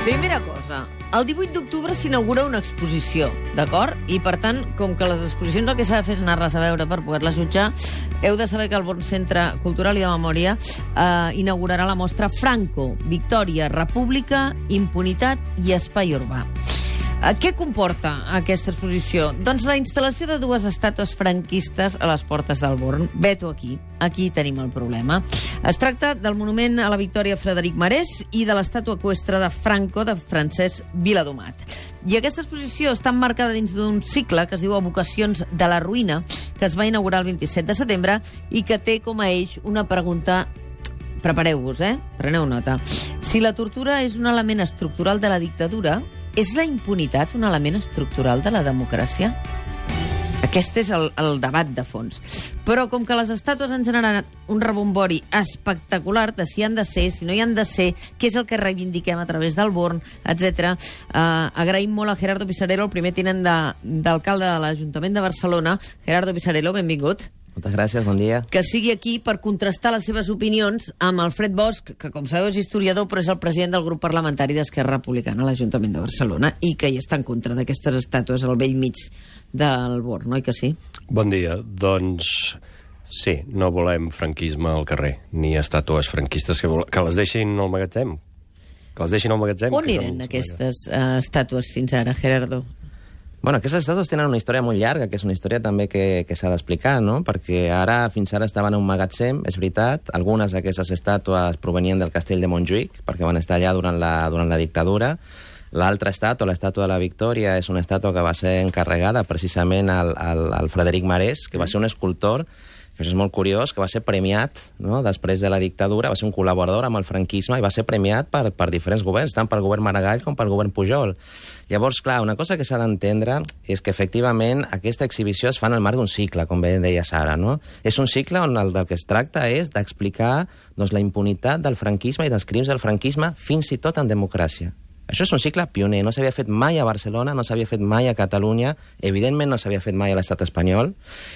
Primera cosa, el 18 d'octubre s'inaugura una exposició, d'acord? I, per tant, com que les exposicions el que s'ha de fer és anar-les a veure per poder-les jutjar, heu de saber que el Born Centre Cultural i de Memòria inaugurarà la mostra Franco, Victòria, República, Impunitat i Espai Urbà. Què comporta aquesta exposició? Doncs la instal·lació de dues estàtues franquistes a les portes del Born. Veto aquí. Aquí tenim el problema. Es tracta del monument a la Victòria Frederic Marès i de l'estàtua eqüestre de Franco de Francesc Viladomat. I aquesta exposició està emmarcada dins d'un cicle que es diu Evocacions de la Ruïna, que es va inaugurar el 27 de setembre i que té com a eix una pregunta. Prepareu-vos, Preneu nota. Si la tortura és un element estructural de la dictadura, és la impunitat un element estructural de la democràcia? Aquest és el debat de fons. Però com que les estàtues han generat un rebombori espectacular de si han de ser, si no hi han de ser, què és el que reivindiquem a través del Born, etc. Agraïm molt a Gerardo Pisarello, el primer tinent d'alcalde de l'Ajuntament de Barcelona. Gerardo Pisarello, benvingut. Moltes gràcies, bon dia. Que sigui aquí per contrastar les seves opinions amb Alfred Bosch, que com sabeu és historiador, però és el president del grup parlamentari d'Esquerra Republicana a l'Ajuntament de Barcelona i que hi està en contra d'aquestes estàtues al vell mig del Born, oi que sí? Bon dia. Doncs sí, no volem franquisme al carrer, ni estàtues franquistes que les deixin al magatzem. Que les deixin al magatzem. On eren aquestes estàtues fins ara, Gerardo? Bueno, aquestes estàtues tenen una història molt llarga, que és una història també que s'ha d'explicar, no? Perquè fins ara estaven en un magatzem, és veritat. Algunes d'aquestes estàtues provenien del castell de Montjuïc, perquè van estar allà durant la dictadura. L'altra estàtua, l'estàtua de la Victòria, és una estàtua que va ser encarregada precisament al Frederic Marès, que va ser un escultor, que és molt curiós, que va ser premiat, no? Després de la dictadura, va ser un col·laborador amb el franquisme i va ser premiat per diferents governs, tant pel govern Maragall com pel govern Pujol. Llavors, clar, una cosa que s'ha d'entendre és que, efectivament, aquesta exhibició es fa en el marc d'un cicle, com bé deia Sara, no? És un cicle on el del que es tracta és d'explicar la impunitat del franquisme i dels crims del franquisme fins i tot en democràcia. Això és un cicle pioner, no s'havia fet mai a Barcelona, no s'havia fet mai a Catalunya, evidentment no s'havia fet mai a l'estat espanyol,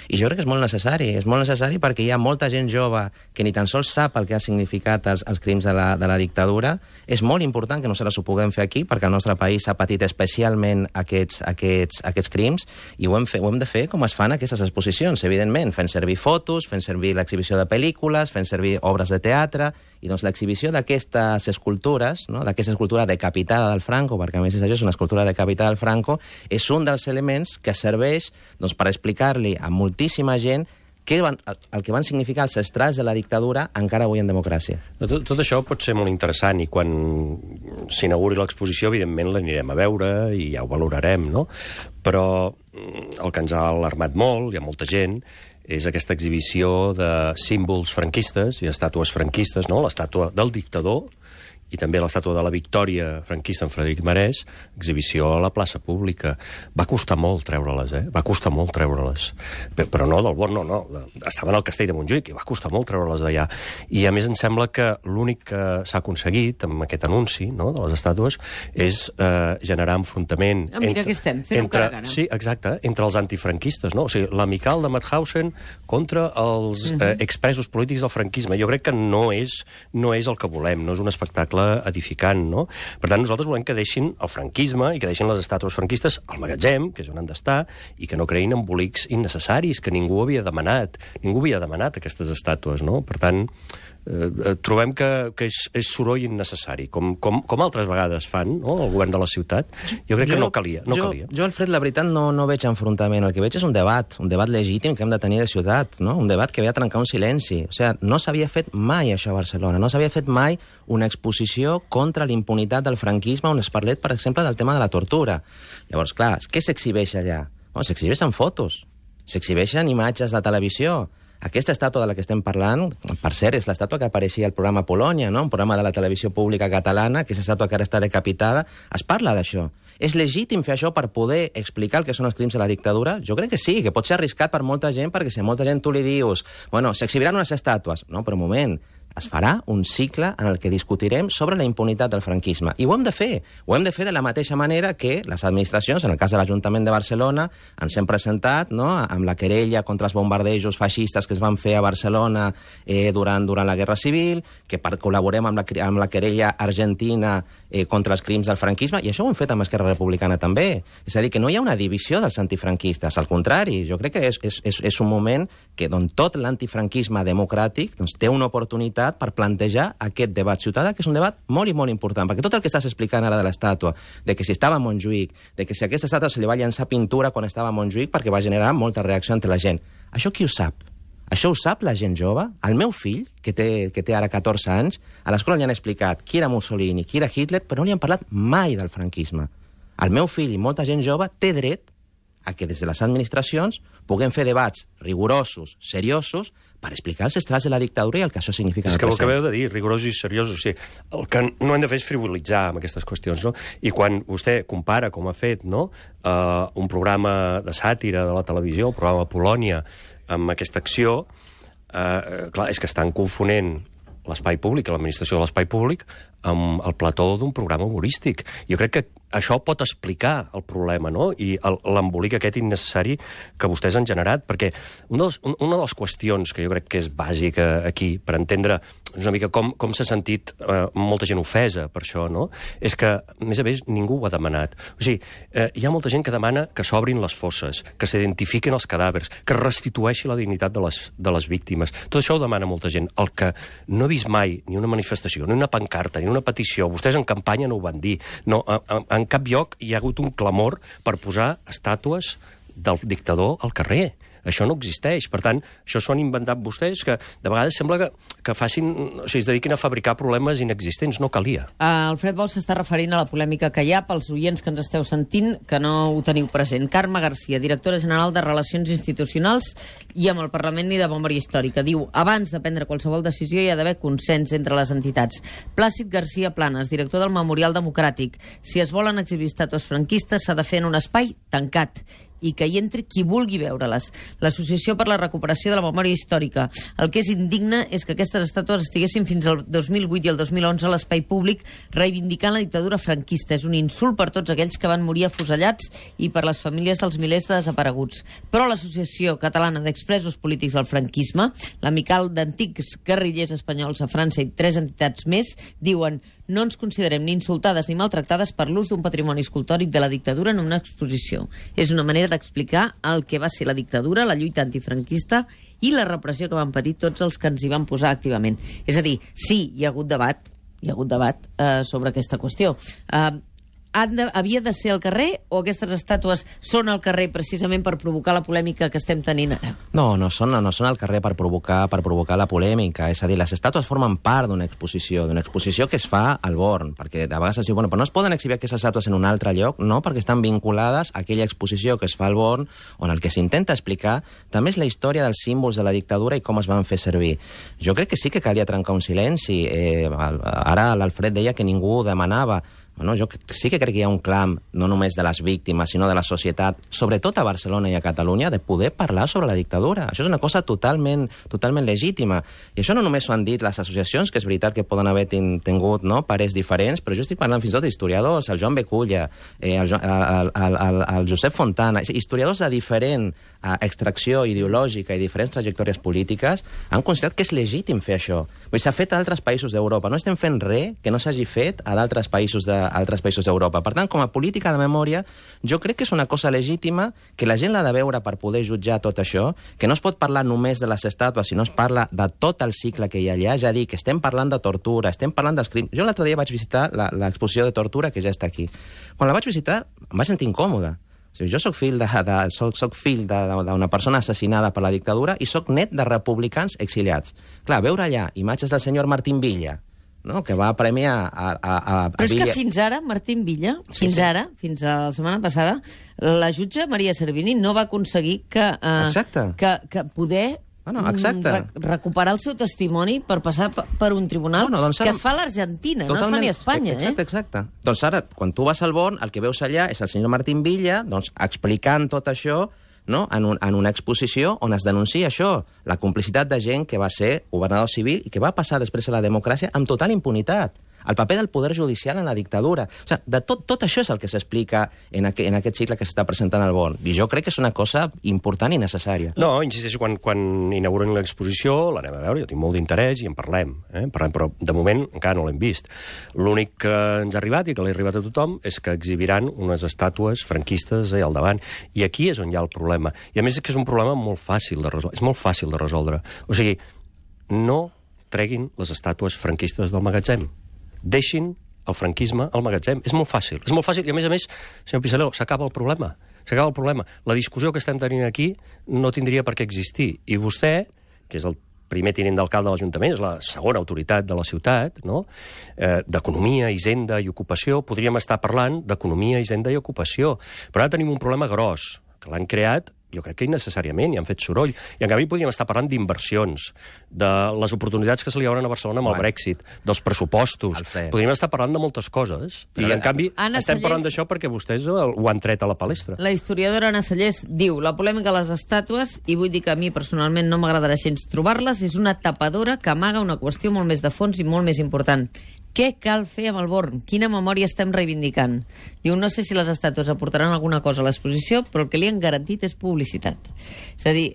i jo crec que és molt necessari perquè hi ha molta gent jove que ni tan sols sap el que ha significat els crims de la dictadura. És molt important que nosaltres ho puguem fer aquí, perquè el nostre país ha patit especialment aquests crims, i ho hem de fer com es fan aquestes exposicions, evidentment, fent servir fotos, fent servir l'exhibició de pel·lícules, fent servir obres de teatre, i doncs l'exhibició d'aquestes escultures, no? D'aquesta escultura decapitada del Franco, perquè a més és una escultura decapitada del Franco, és un dels elements que serveix per explicar-li a moltíssima gent el que van significar els estralls de la dictadura encara avui en democràcia. Tot això pot ser molt interessant i quan s'inauguri l'exposició, evidentment l'anirem a veure i ja ho valorarem, no? Però el que ens ha alarmat molt, hi ha molta gent, és aquesta exhibició de símbols franquistes i estàtues franquistes, no? L'estàtua del dictador i també l'estàtua de la Victòria franquista en Frederic Marès, exhibició a la plaça pública. Va costar molt treure-les, Va costar molt treure-les. Però no del Born, no. Estaven al castell de Montjuïc i va costar molt treure-les d'allà. I a més em sembla que l'únic que s'ha aconseguit amb aquest anunci, no?, de les estàtues és generar enfrontament mira que estem fent cara a cara. Sí, exacte, entre els antifranquistes, no? O sigui, l'amical de Mauthausen contra els expresos polítics del franquisme. Jo crec que no és el que volem, no és un espectacle edificant, no? Per tant, nosaltres volem que deixin el franquisme i que deixin les estàtues franquistes al magatzem, que és on han d'estar, i que no creïn embolics innecessaris que ningú havia demanat. Ningú havia demanat aquestes estàtues, no? Per tant, trobem que és soroll innecessari, com altres vegades fan, no?, el govern de la ciutat. Jo crec que no calia. Jo, Alfred, la veritat, no veig enfrontament. El que veig és un debat legítim que hem de tenir de ciutat, no? Un debat que ve a trencar un silenci. O sigui, no s'havia fet mai això a Barcelona, no s'havia fet mai una exposició contra l'impunitat del franquisme on es parlet, per exemple, del tema de la tortura. Llavors, clar, què s'exhibeix allà? S'exhibeixen fotos, s'exhibeixen imatges de televisió. Aquesta estàtua de la que estem parlant, per cert, és l'estàtua que apareixia al programa Polònia, no? Un programa de la televisió pública catalana, que és l'estàtua que ara està decapitada. Es parla d'això. És legítim fer això per poder explicar el que són els crims de la dictadura? Jo crec que sí, que pot ser arriscat per molta gent, perquè si a molta gent tu li dius, bueno, s'exhibiran unes estàtues. No, però un moment, es farà un cicle en el que discutirem sobre la impunitat del franquisme. I ho hem de fer. Ho hem de fer de la mateixa manera que les administracions, en el cas de l'Ajuntament de Barcelona, ens hem presentat, no?, amb la querella contra els bombardejos feixistes que es van fer a Barcelona durant la Guerra Civil, que col·laborem amb la querella argentina contra els crims del franquisme, i això ho hem fet amb Esquerra Republicana també. És a dir, que no hi ha una divisió dels antifranquistes, al contrari, jo crec que és un moment que tot l'antifranquisme democràtic té una oportunitat per plantejar aquest debat ciutadà, que és un debat molt i molt important, perquè tot el que estàs explicant ara de l'estàtua, de que si estava a Montjuïc, de que si a aquesta estàtua se li va llançar pintura quan estava a Montjuïc perquè va generar molta reacció entre la gent, això qui ho sap? Això ho sap la gent jove? El meu fill, que té ara 14 anys, a l'escola li han explicat qui era Mussolini, qui era Hitler, però no li han parlat mai del franquisme. El meu fill i molta gent jove té dret a que des de les administracions puguem fer debats rigorosos, seriosos, per explicar els estrats de la dictadura i el que això significa en el present. És que ho acabeu de dir, rigorosos i seriosos. O sigui, el que no hem de fer és frivolitzar amb aquestes qüestions, no? I quan vostè compara, com ha fet, no?, un programa de sàtira de la televisió, el programa Polònia, amb aquesta acció, clar, és que estan confonent l'espai públic, l'administració de l'espai públic, amb el plató d'un programa humorístic. Jo crec que això pot explicar el problema, no?, i l'embolic aquest innecessari que vostès han generat, perquè una de les qüestions que jo crec que és bàsica aquí, per entendre una mica com s'ha sentit molta gent ofesa per això, no?, és que, a més, ningú ho ha demanat. O sigui, hi ha molta gent que demana que s'obrin les fosses, que s'identifiquin els cadàvers, que es restitueixi la dignitat de les víctimes. Tot això ho demana molta gent. El que no he vist mai ni una manifestació, ni una pancarta, ni una petició, vostès en campanya no ho van dir, no, en cap lloc hi ha hagut un clamor per posar estàtues del dictador al carrer. Això no existeix. Per tant, això s'ho han inventat vostès, que de vegades sembla que facin, o sigui, es dediquin a fabricar problemes inexistents. No calia. Alfred Bosch s'està referint a la polèmica que hi ha pels oients que ens esteu sentint, que no ho teniu present. Carme Garcia, directora general de Relacions Institucionals i amb el Parlament i de Memòria Històrica, diu: abans de prendre qualsevol decisió hi ha d'haver consens entre les entitats. Plàcid Garcia Planes, director del Memorial Democràtic: si es volen exhibir estàtues franquistes s'ha de fer en un espai tancat i que hi entri qui vulgui veure-les. L'Associació per la Recuperació de la Memòria Històrica: el que és indigne és que aquestes estàtues estiguessin fins al 2008 i el 2011 a l'espai públic reivindicant la dictadura franquista. És un insult per tots aquells que van morir afusellats i per les famílies dels milers de desapareguts. Però l'Associació Catalana d'Expresos Polítics del Franquisme, l'Amical d'Antics Guerrillers Espanyols a França i 3 entitats més diuen: no ens considerem ni insultades ni maltractades per l'ús d'un patrimoni escultòric de la dictadura en una exposició. És una manera d'explicar el que va ser la dictadura, la lluita antifranquista i la repressió que van patir tots els que ens hi van posar activament. És a dir, sí, hi ha hagut debat sobre aquesta qüestió. Havia de ser al carrer o aquestes estàtues són al carrer precisament per provocar la polèmica que estem tenint ara? No són al carrer per provocar la polèmica. És a dir, les estàtues formen part d'una exposició que es fa al Born, perquè de vegades es diu, bueno, però no es poden exhibir aquestes estàtues en un altre lloc? No, perquè estan vinculades a aquella exposició que es fa al Born, on el que s'intenta explicar també és la història dels símbols de la dictadura i com es van fer servir. Jo crec que sí que calia trencar un silenci. Ara l'Alfred deia que ningú ho demanava. Bueno, jo sí que crec que hi ha un clam, no només de les víctimes, sinó de la societat, sobretot a Barcelona i a Catalunya, de poder parlar sobre la dictadura. Això és una cosa totalment legítima. I això no només ho han dit les associacions, que és veritat que poden haver tingut parers diferents, però jo estic parlant fins i tot d'historiadors, el Joan Beculla, el Josep Fontana, historiadors de diferent extracció ideològica i diferents trajectòries polítiques, han considerat que és legítim fer això. S'ha fet a altres països d'Europa. No estem fent res que no s'hagi fet a d'altres països d'Europa. Per tant, com a política de memòria, jo crec que és una cosa legítima, que la gent l'ha de veure per poder jutjar tot això, que no es pot parlar només de les estàtues, sinó es parla de tot el cicle que hi ha allà. És a dir, que estem parlant de tortura, estem parlant dels crims. Jo l'altre dia vaig visitar l'exposició de tortura, que ja està aquí. Quan la vaig visitar, em vaig sentir incòmode. O sigui, jo soc fill d'una persona assassinada per la dictadura i soc net de republicans exiliats. Clar, veure allà imatges del senyor Martín Villa, no?, que va premiar a Però és que fins ara, Martín Villa, fins la setmana passada, la jutge Maria Servini no va aconseguir que poder recuperar el seu testimoni per passar per un tribunal que es fa a l'Argentina, no es fa ni a Espanya. Exacte. Doncs ara, quan tu vas al Born, el que veus allà és el senyor Martín Villa explicant tot això, no? en una exposició on es denuncia això, la complicitat de gent que va ser governador civil i que va passar després a la democràcia amb total impunitat. El paper del poder judicial en la dictadura. O sigui, de tot això és el que s'explica en aquest cicle que s'està presentant al Born. I jo crec que és una cosa important i necessària. No, insisteixo, quan inauguren l'exposició l'anem a veure, jo tinc molt d'interès i en parlem, però de moment encara no l'hem vist. L'únic que ens ha arribat i que l'ha arribat a tothom és que exhibiran unes estàtues franquistes al davant. I aquí és on hi ha el problema. I a més és que és un problema molt fàcil de resoldre. És molt fàcil de resoldre. O sigui, no treguin les estàtues franquistes del magatzem. Deixin el franquisme al magatzem. És molt fàcil. És molt fàcil i, a més, senyor Pisarello, s'acaba el problema. S'acaba el problema. La discussió que estem tenint aquí no tindria per què existir. I vostè, que és el primer tinent d'alcalde de l'Ajuntament, és la segona autoritat de la ciutat, no? D'economia, hisenda i ocupació, podríem estar parlant d'economia, hisenda i ocupació. Però ara tenim un problema gros, que l'han creat jo crec que innecessàriament, i han fet soroll. I en canvi podríem estar parlant d'inversions, de les oportunitats que se li obren a Barcelona amb el Brexit, dels pressupostos. Podríem estar parlant de moltes coses. I en canvi estem parlant d'això perquè vostès ho han tret a la palestra. La historiadora Anna Sallés diu: la polèmica de les estàtues, i vull dir que a mi personalment no m'agradarà gens trobar-les, és una tapadora que amaga una qüestió molt més de fons i molt més important. Què cal fer amb el Born? Quina memòria estem reivindicant? Diu, no sé si les estàtues aportaran alguna cosa a l'exposició, però el que li han garantit és publicitat. És a dir,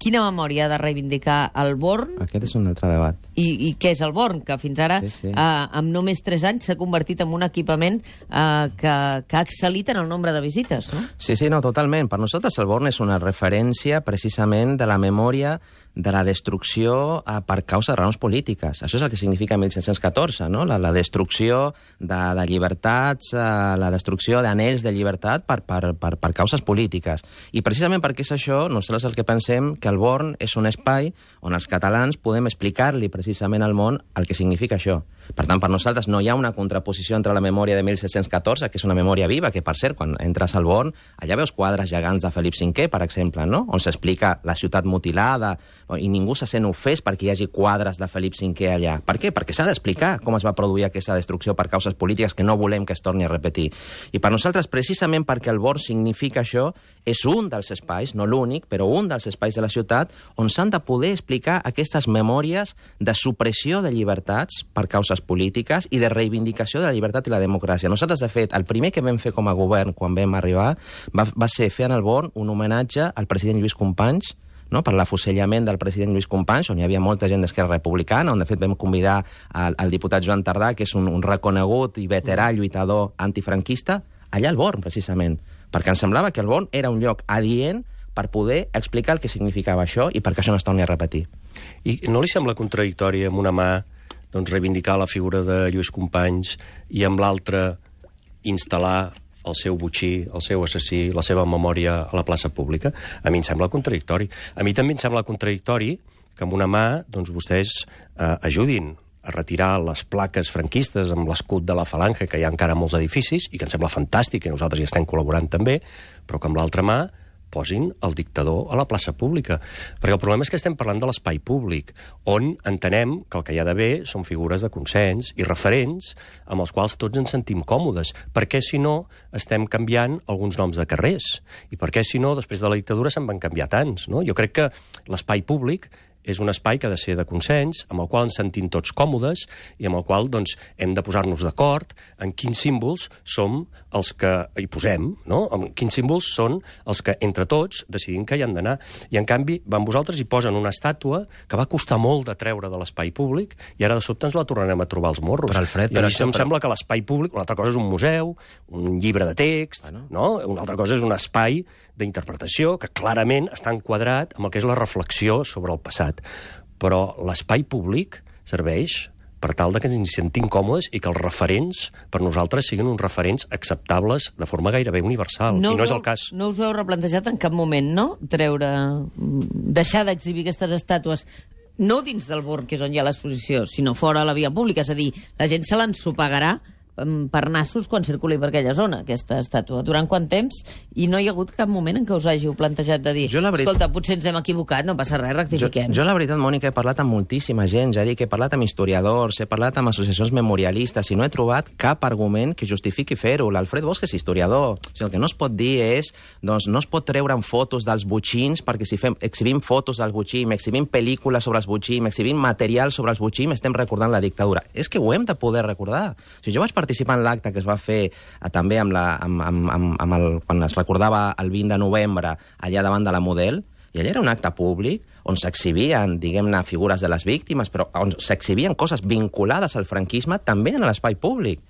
quina memòria ha de reivindicar el Born? Aquest és un altre debat. I què és el Born? Que fins ara, amb només 3 anys, s'ha convertit en un equipament que ha excel·lit en el nombre de visites, no? Sí, no, totalment. Per nosaltres el Born és una referència precisament de la memòria de la destrucció per causa de raons polítiques. Això és el que significa 1714, no? La destrucció de llibertats, la destrucció d'anells de llibertat per causes polítiques. I precisament perquè és això, nosaltres el que pensem que el Born és un espai on els catalans podem explicar-li precisament al món el que significa això. Per tant, per nosaltres no hi ha una contraposició entre la memòria de 1714, que és una memòria viva, que per cert, quan entres al Born, allà veus quadres gegants de Felip V, per exemple, no? On s'explica la ciutat mutilada, i ningú se sent ofès perquè hi hagi quadres de Felip V allà. Per què? Perquè s'ha d'explicar com es va produir aquesta destrucció per causes polítiques que no volem que es torni a repetir. I per nosaltres, precisament perquè el Born significa això, és un dels espais, no l'únic, però un dels espais de la ciutat on s'han de poder explicar aquestes memòries de supressió de llibertats per causes polítiques i de reivindicació de la llibertat i la democràcia. Nosaltres, de fet, el primer que vam fer com a govern quan vam arribar va ser fer en el Born un homenatge al president Lluís Companys, no? Per l'afusellament del president Lluís Companys, on hi havia molta gent d'Esquerra Republicana, on de fet vam convidar el diputat Joan Tardà, que és un reconegut i veterà lluitador antifranquista, allà al Born, precisament, perquè ens semblava que el Born era un lloc adient per poder explicar el que significava això i perquè això no es torni a repetir. I no li sembla contradictori amb una mà reivindicar la figura de Lluís Companys i amb l'altra instal·lar el seu botxí, el seu assassí, la seva memòria a la plaça pública? A mi em sembla contradictori. A mi també em sembla contradictori que amb una mà vostès ajudin a retirar les plaques franquistes amb l'escut de la Falange, que hi ha encara molts edificis, i que em sembla fantàstic, i nosaltres hi estem col·laborant també, però que amb l'altra mà posin el dictador a la plaça pública. Perquè el problema és que estem parlant de l'espai públic, on entenem que el que hi ha d'haver són figures de consens i referents amb els quals tots ens sentim còmodes. Per què, si no, estem canviant alguns noms de carrers? I per què, si no, després de la dictadura se'n van canviar tants, no? Jo crec que l'espai públic és un espai que ha de ser de consens, amb el qual ens sentim tots còmodes i amb el qual hem de posar-nos d'acord en quins símbols som els que hi posem, no? En quins símbols són els que, entre tots, decidim que hi han d'anar. I, en canvi, van vosaltres i posen una estàtua que va costar molt de treure de l'espai públic i ara de sobte ens la tornarem a trobar als morros. Però, Alfred, I a mi em sembla que l'espai públic, una altra cosa és un museu, un llibre de text, no? Una altra cosa és un espai d'interpretació que clarament està enquadrat amb el que és la reflexió sobre el passat. Però l'espai públic serveix per tal que ens sentim còmodes i que els referents per nosaltres siguin uns referents acceptables de forma gairebé universal. I no és el cas. No us ho heu replantejat en cap moment, no? Deixar d'exhibir aquestes estàtues no dins del Born, que és on hi ha l'exposició, sinó fora a la via pública. És a dir, la gent se l'ensopegarà per nassos quan circuli per aquella zona, aquesta estàtua. Durant quant temps? I no hi ha hagut cap moment en què us hàgiu plantejat de dir escolta, potser ens hem equivocat, no passa res, rectifiquem. Jo la veritat, Mònica, he parlat amb moltíssima gent, ja dic, he parlat amb historiadors, he parlat amb associacions memorialistes i no he trobat cap argument que justifiqui fer-ho. L'Alfred Bosch és historiador. O sigui, el que no es pot dir és, doncs, no es pot treure fotos dels botxins, perquè si exhibim fotos del botxim, exhibim pel·lícules sobre els botxim, exhibim material sobre els botxim, estem recordant la dictadura. És que ho hem de poder recordar. O sigui, jo vaig participar en l'acte que es va fer també quan es recordava el 20 de novembre allà davant de la Model, i allà era un acte públic on s'exhibien, diguem-ne, figures de les víctimes, però on s'exhibien coses vinculades al franquisme també en l'espai públic.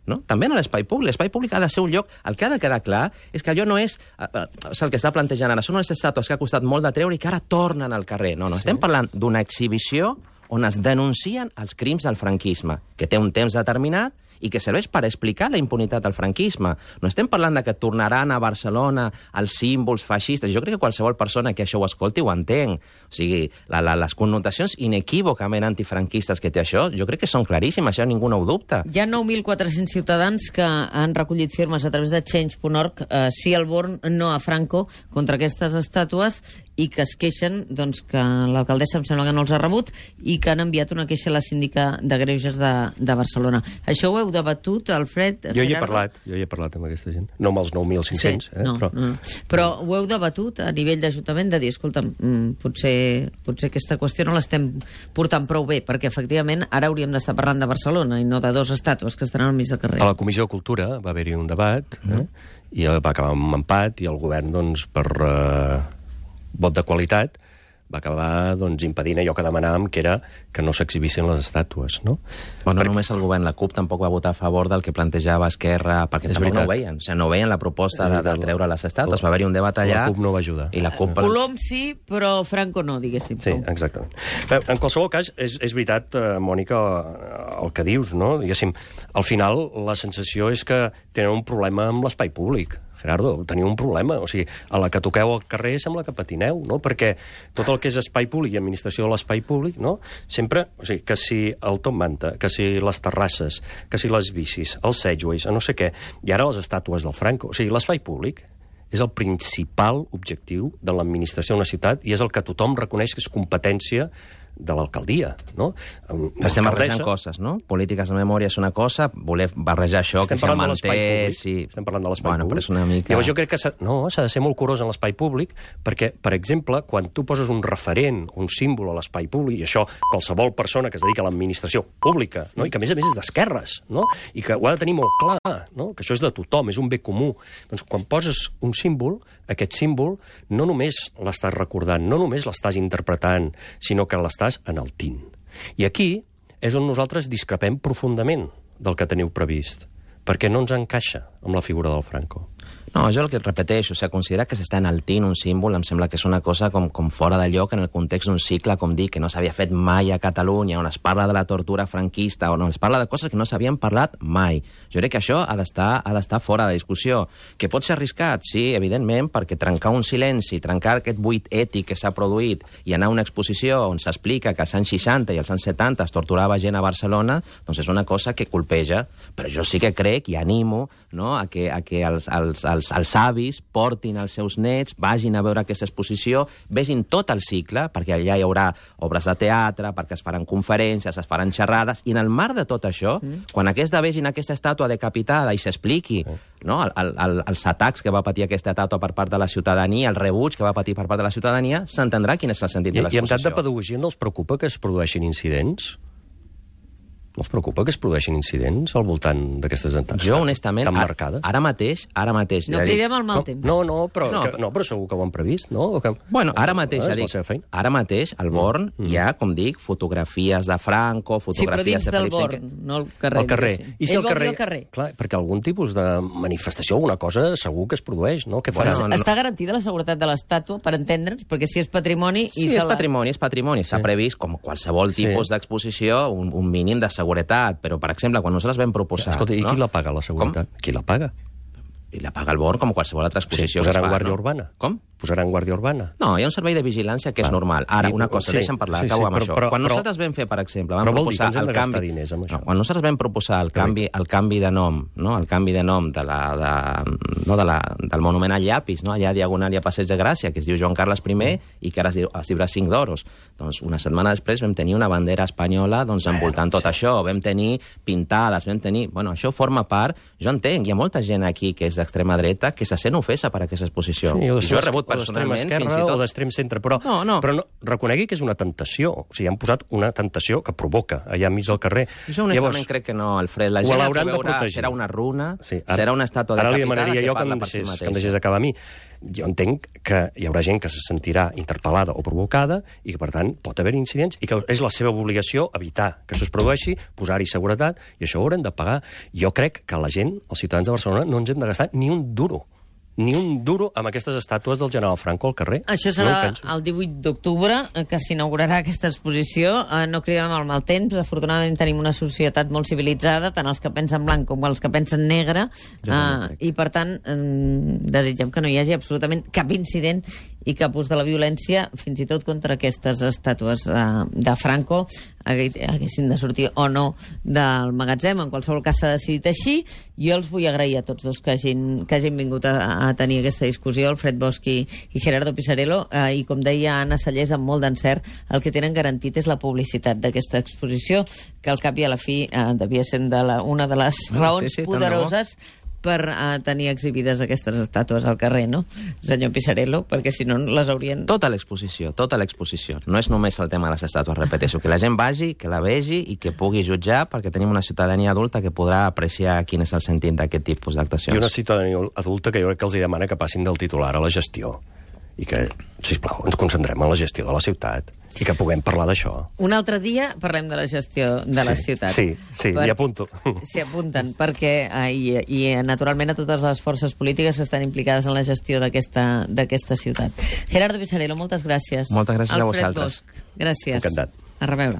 No? També en l'espai públic. L'espai públic ha de ser un lloc... El que ha de quedar clar és que allò no és el que està plantejant ara. Són unes estàtues que ha costat molt de treure i que ara tornen al carrer. No, estem parlant d'una exhibició on es denuncien els crims del franquisme, que té un temps determinat i que serveix per explicar la impunitat del franquisme. No estem parlant de que tornaran a Barcelona els símbols feixistes. Jo crec que qualsevol persona que això ho escolti ho entenc. O sigui, les connotacions inequívocament antifranquistes que té això, jo crec que són claríssimes, això ningú no ho dubta. Hi ha 9.400 ciutadans que han recollit firmes a través de Change.org, sí al Born, no a Franco, contra aquestes estàtues, i que es queixen doncs, que l'alcaldessa em sembla que no els ha rebut i que han enviat una queixa a la síndica de Greuges de Barcelona. Això ho heu debatut, Alfred? Jo hi he parlat amb aquesta gent. No amb els 9.500, sí, però ho heu debatut a nivell d'Ajuntament de dir, escolta, potser aquesta qüestió no l'estem portant prou bé, perquè efectivament ara hauríem d'estar parlant de Barcelona i no de dos estàtues que estaran al mig del carrer. A la Comissió de Cultura va haver-hi un debat i va acabar amb un empat i el govern, doncs, per vot de qualitat, va acabar doncs, impedint allò que demanàvem, que era que no s'exhibissin les estàtues, no? Bueno, només el govern, la CUP tampoc va votar a favor del que plantejava Esquerra, perquè tampoc no ho veien. O sigui, no veien la proposta de treure les estàtues. Va haver-hi un debat allà... La CUP no va ajudar. I la CUP... Colom sí, però Franco no, diguéssim. Sí, exactament. En qualsevol cas, és veritat, Mònica, el que dius, no? Diguéssim, al final la sensació és que tenen un problema amb l'espai públic. Gerardo, teniu un problema. O sigui, a la que toqueu al carrer sembla que patineu, no? Perquè tot el que és espai públic i administració de l'espai públic, no? Sempre, o sigui, que si el Top Manta, que si les terrasses, que si les bicis, els segways, no sé què, i ara les estàtues del Franco. O sigui, l'espai públic és el principal objectiu de l'administració d'una ciutat i és el que tothom reconeix que és competència de l'alcaldia, no? Estem barrejant coses, no? Polítiques de memòria és una cosa, voler barrejar això, que si el manté... Estem parlant de l'espai públic. Però és una mica... Llavors jo crec que s'ha de ser molt curós en l'espai públic, perquè, per exemple, quan tu poses un referent, un símbol a l'espai públic, i això qualsevol persona que es dedica a l'administració pública, no? I que a més és d'esquerres, no? I que ho ha de tenir molt clar, no? Que això és de tothom, és un bé comú. Doncs quan poses un símbol, aquest símbol no només l'estàs recordant, no només l'estàs interpretant, sinó que l'estàs enaltint. I aquí és on nosaltres discrepem profundament del que teniu previst, perquè no ens encaixa amb la figura del Franco. No, jo el que repeteixo, o sigui, considerar que s'està enaltint un símbol em sembla que és una cosa com fora de lloc en el context d'un cicle, com dic, que no s'havia fet mai a Catalunya, on es parla de la tortura franquista, on es parla de coses que no s'havien parlat mai. Jo crec que això ha d'estar fora de discussió. Que pot ser arriscat? Sí, evidentment, perquè trencar un silenci, trencar aquest buit ètic que s'ha produït i anar a una exposició on s'explica que als anys 60 i als anys 70 es torturava gent a Barcelona, doncs és una cosa que colpeja. Però jo sí que crec i animo, no, a que els avis portin els seus nets, vagin a veure aquesta exposició, vegin tot el cicle, perquè allà hi haurà obres de teatre, perquè es faran conferències, es faran xerrades, i en el marc de tot això, quan vegin aquesta estàtua decapitada i s'expliqui no, els atacs que va patir aquesta estàtua per part de la ciutadania, el rebuig que va patir per part de la ciutadania, s'entendrà quin és el sentit de l'exposició. I en tant de pedagogia no els preocupa que es produeixin incidents? No els preocupa que es produeixin incidents al voltant d'aquestes entitats? Jo, honestament, tan marcades? Ara mateix... No cridem al mal temps. Però segur que ho han previst, no? Bueno, ara mateix, al Born hi ha, com dic, fotografies de Franco, fotografies de Felip V... Sí, però dins del Born, no al carrer. Al carrer. I si ell vol dir al carrer. Clar, perquè algun tipus de manifestació, alguna cosa, segur que es produeix, no? Què farà? Està garantida la seguretat de l'estàtua, per entendre'ns, perquè si és patrimoni... Sí, és patrimoni. Està previst, com qualsevol tipus d'exposició, un mínim de seguretat, però, per exemple, quan nosaltres vam proposar... Escolta, i qui la paga, la seguretat? Qui la paga? I la paga el Born com qualsevol altra exposició. Posaran guàrdia urbana? Com? Posaran guàrdia urbana? No, hi ha un servei de vigilància que és normal. Ara, una cosa, deixa'm parlar, acabo amb això. Quan nosaltres vam fer, per exemple, vam proposar el canvi... Quan nosaltres vam proposar el canvi de nom, no? El canvi de nom del monument al llapis, no? Allà a Diagonal i a Passeig de Gràcia, que es diu Joan Carles I i que ara es diurà 5 d'Oros. Doncs una setmana després vam tenir una bandera espanyola envoltant tot això, vam tenir pintades, vam tenir... Bueno, això forma part... Jo entenc, hi ha molta gent aquí que és d'extrema dreta que se sent ofesa per aquesta exposició. Jo he rebut personalment fins i tot... O d'extrem centre, però reconegui que és una tentació. O sigui, han posat una tentació que provoca allà enmig del carrer. Jo honestament crec que no, Alfred. La gent veurà, serà una runa, serà una estàtua decapitada que parla per si mateixa. Que em deixés acabar a mi. Jo entenc que hi haurà gent que se sentirà interpel·lada o provocada i que, per tant, pot haver incidents i que és la seva obligació evitar que això es produeixi, posar-hi seguretat, i això ho haurem de pagar. Jo crec que la gent, els ciutadans de Barcelona, no ens hem de gastar ni un duro amb aquestes estàtues del general Franco al carrer. Això serà el 18 d'octubre, que s'inaugurarà aquesta exposició. No cridem al mal temps. Afortunadament tenim una societat molt civilitzada, tant els que pensen blanc com els que pensen negre, i per tant desitgem que no hi hagi absolutament cap incident i cap ús de la violència, fins i tot contra aquestes estàtues de Franco, haguessin de sortir o no del magatzem. En qualsevol cas s'ha decidit així. Jo els vull agrair a tots dos que hagin vingut a tenir aquesta discussió, Alfred Bosch i Gerardo Pisarello, i com deia Anna Sallés, amb molt d'encert, el que tenen garantit és la publicitat d'aquesta exposició, que al cap i a la fi devia ser una de les raons poderoses per tenir exhibides aquestes estàtues al carrer, no, senyor Pisarello? Perquè si no les haurien... Tota l'exposició. No és només el tema de les estàtues, repeteixo, que la gent vagi, que la vegi i que pugui jutjar, perquè tenim una ciutadania adulta que podrà apreciar quin és el sentit d'aquest tipus d'actuacions. I una ciutadania adulta que jo crec que els demana que passin del titular a la gestió i que, sisplau, ens concentrem en la gestió de la ciutat i que puguem parlar d'això. Un altre dia parlem de la gestió de la ciutat. Sí, m'hi apunto. S'hi apunten, perquè naturalment a totes les forces polítiques estan implicades en la gestió d'aquesta ciutat. Gerardo Pisarello, moltes gràcies. Moltes gràcies a vosaltres. Alfred Bosch, gràcies. Encantat. A reveure.